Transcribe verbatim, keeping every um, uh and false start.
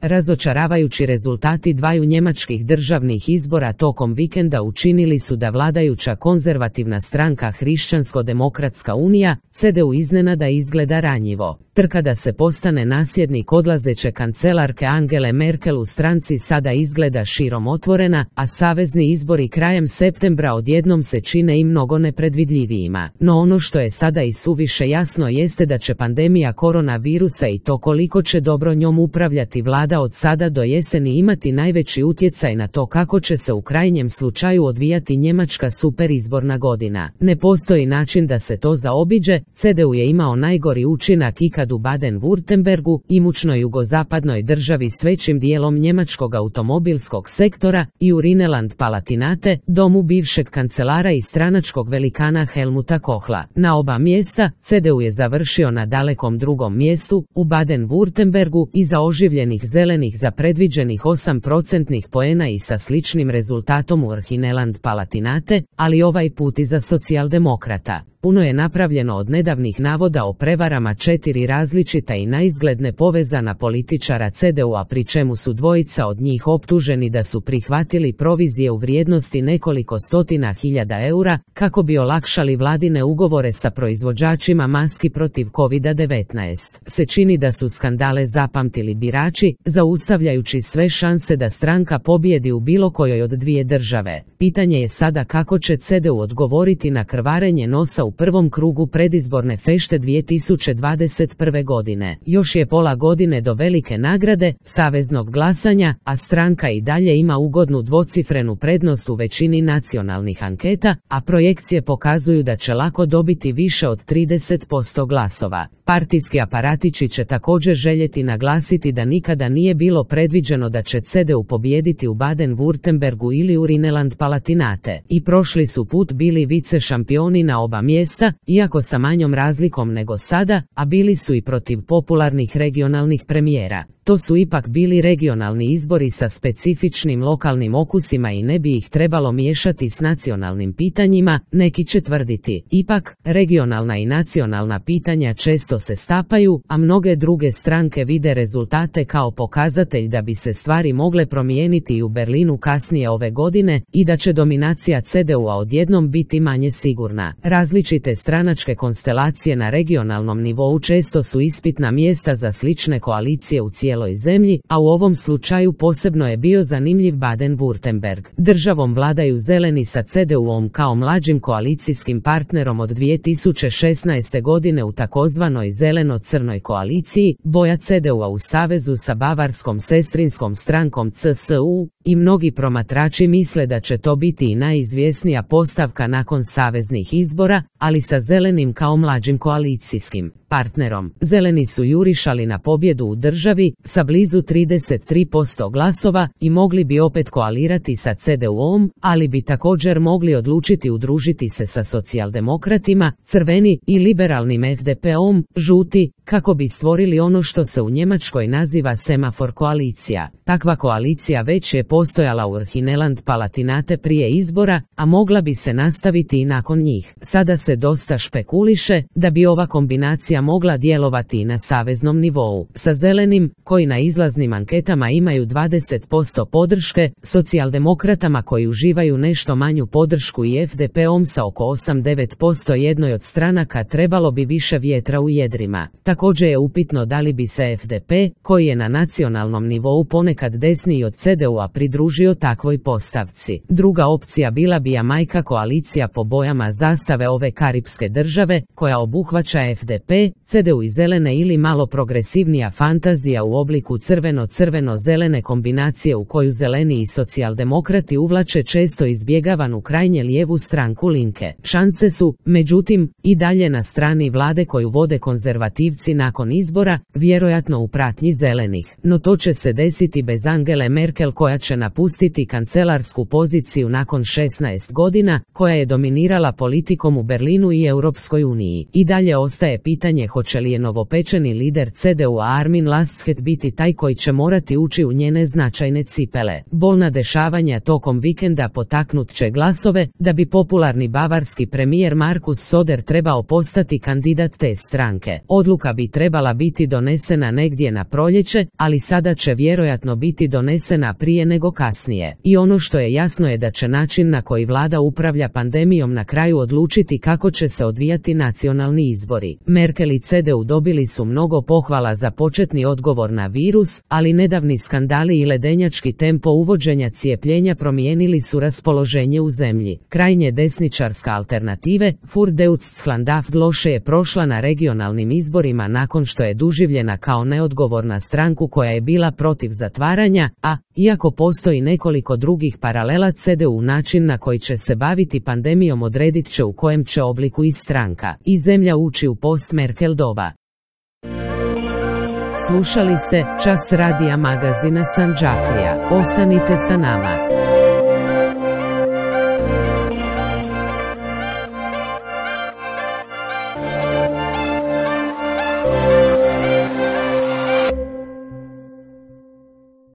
Razočaravajući rezultati dvaju njemačkih državnih izbora tokom vikenda učinili su da vladajuća konzervativna stranka Hrišćansko-demokratska unija, C D U, iznenada izgleda ranjivo. Trka da se postane nasljednik odlazeće kancelarke Angele Merkel u stranci sada izgleda širom otvorena, a savezni izbori krajem septembra odjednom se čine i mnogo nepredvidljivijima. No ono što je sada i suviše jasno jeste da će pandemija koronavirusa i to koliko će dobro njom upravljati vlada od sada do jeseni imati najveći utjecaj na to kako će se u krajnjem slučaju odvijati njemačka superizborna godina. Ne postoji način da se to zaobiđe. C D U je imao najgori učinak ikad u Baden-Württembergu, imućnoj jugozapadnoj državi s većim dijelom njemačkog automobilskog sektora, i u Rhineland-Palatinate, domu bivšeg kancelara i stranačkog velikana Helmuta Kohla. Na oba mjesta C D U je završio na dalekom drugom mjestu, u Baden-Württembergu iza oživljenih zelenih za predviđenih osam procentnih poena i sa sličnim rezultatom u Rhineland-Palatinate, ali ovaj put i za socijaldemokrata. Puno je napravljeno od nedavnih navoda o prevarama četiri različita i naizgled nepovezana političara C D U-a, pri čemu su dvojica od njih optuženi da su prihvatili provizije u vrijednosti nekoliko stotina hiljada eura kako bi olakšali vladine ugovore sa proizvođačima maski protiv kovid devetnaest. Se čini da su skandale zapamtili birači, zaustavljajući sve šanse da stranka pobijedi u bilo kojoj od dvije države. Pitanje je sada kako će C D U odgovoriti na krvarenje nosa u prvom krugu predizborne fešte dvije tisuće dvadeset prve godine. Još je pola godine do velike nagrade, saveznog glasanja, a stranka i dalje ima ugodnu dvocifrenu prednost u većini nacionalnih anketa, a projekcije pokazuju da će lako dobiti više od trideset posto glasova. Partijski aparatići će također željeti naglasiti da nikada nije bilo predviđeno da će C D U pobijediti u Baden-Württembergu ili u Rhineland-Palatinate. I prošli su put bili vice šampioni na oba mjesta, iako sa manjom razlikom nego sada, a bili su i protiv popularnih regionalnih premijera. To su ipak bili regionalni izbori sa specifičnim lokalnim okusima i ne bi ih trebalo miješati s nacionalnim pitanjima, neki će tvrditi. Ipak, regionalna i nacionalna pitanja često se stapaju, a mnoge druge stranke vide rezultate kao pokazatelj da bi se stvari mogle promijeniti i u Berlinu kasnije ove godine i da će dominacija C D U-a odjednom biti manje sigurna. Različite stranačke konstelacije na regionalnom nivou često su ispitna mjesta za slične koalicije u cijeloj zemlji, a u ovom slučaju posebno je bio zanimljiv Baden-Württemberg. Državom vladaju zeleni sa C D U-om kao mlađim koalicijskim partnerom od dvije tisuće šesnaeste godine u takozvanoj zeleno-crnoj koaliciji, boja C D U-a u savezu sa bavarskom sestrinskom strankom C S U, i mnogi promatrači misle da će to biti i najizvjesnija postavka nakon saveznih izbora, ali sa zelenim kao mlađim koalicijskim partnerom. Zeleni su jurišali na pobjedu u državi sa blizu trideset tri posto glasova i mogli bi opet koalirati sa C D U-om, ali bi također mogli odlučiti udružiti se sa socijaldemokratima, crveni i liberalnim F D P-om, žuti, kako bi stvorili ono što se u Njemačkoj naziva semafor koalicija. Takva koalicija već je postojala u Rhineland-Palatinate prije izbora, a mogla bi se nastaviti i nakon njih. Sada se dosta špekuliše da bi ova kombinacija mogla djelovati i na saveznom nivou. Sa zelenim, koji na izlaznim anketama imaju dvadeset posto podrške, socijaldemokratama koji uživaju nešto manju podršku i F D P-om sa oko osam do devet posto jednoj od stranaka trebalo bi više vjetra u jedrima. Također je upitno da li bi se F D P, koji je na nacionalnom nivou ponekad desniji od C D U-a, pridružio takvoj postavci. Druga opcija bila bi Jamajka, koalicija po bojama zastave ove karipske države, koja obuhvaća F D P, C D U i zelene, ili malo progresivnija fantazija u obliku crveno-crveno-zelene kombinacije u koju zeleni i socijaldemokrati uvlače često izbjegavanu krajnje lijevu stranku Linke. Šanse su, međutim, i dalje na strani vlade koju vode konzervativci nakon izbora, vjerojatno u pratnji zelenih. No to će se desiti bez Angele Merkel, koja će napustiti kancelarsku poziciju nakon šesnaest godina, koja je dominirala politikom u Berlinu i Europskoj uniji. I dalje ostaje pitanje hoće li je novopečeni lider C D U-a Armin Laschet biti taj koji će morati ući u njene značajne cipele. Bolna dešavanja tokom vikenda potaknut će glasove da bi popularni bavarski premijer Markus Söder trebao postati kandidat te stranke. Odluka bi trebala biti donesena negdje na proljeće, ali sada će vjerojatno biti donesena prije nego kasnije. I ono što je jasno je da će način na koji vlada upravlja pandemijom na kraju odlučiti kako će se odvijati nacionalni izbori. Merkel i C D U dobili su mnogo pohvala za početni odgovor na virus, ali nedavni skandali i ledenjački tempo uvođenja cijepljenja promijenili su raspoloženje u zemlji. Krajnje desničarska alternative, Für Deutschland loše je prošla na regionalnim izborima nakon što je doživljena kao neodgovorna stranku koja je bila protiv zatvaranja, a, iako postoji nekoliko drugih paralela, C D U način na koji će se baviti pandemijom odredit će u kojem će obliku i stranka i zemlja ući u post-Merkel doba. Slušali ste Čas radija magazina Sandžaklija. Ostanite sa nama.